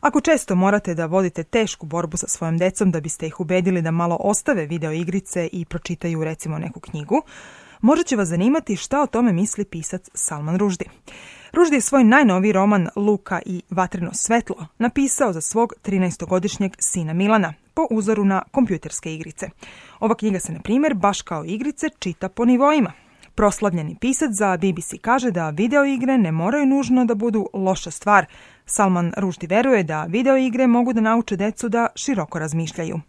Ako često morate da vodite tešku borbu sa svojom decom da biste ih ubedili da malo ostave video igrice i pročitaju recimo neku knjigu, možda će vas zanimati šta o tome misli pisac Salman Rushdie. Rushdie je svoj najnoviji roman Luka i vatreno svetlo napisao za svog 13-godišnjeg sina Milana, po uzoru na kompjuterske igrice. Ova knjiga se, na primjer, baš kao igrice čita po nivoima. Proslavljeni pisac za BBC kaže da video igre ne moraju nužno da budu loša stvar. Salman Rushdie veruje da video igre mogu da nauče decu da široko razmišljaju.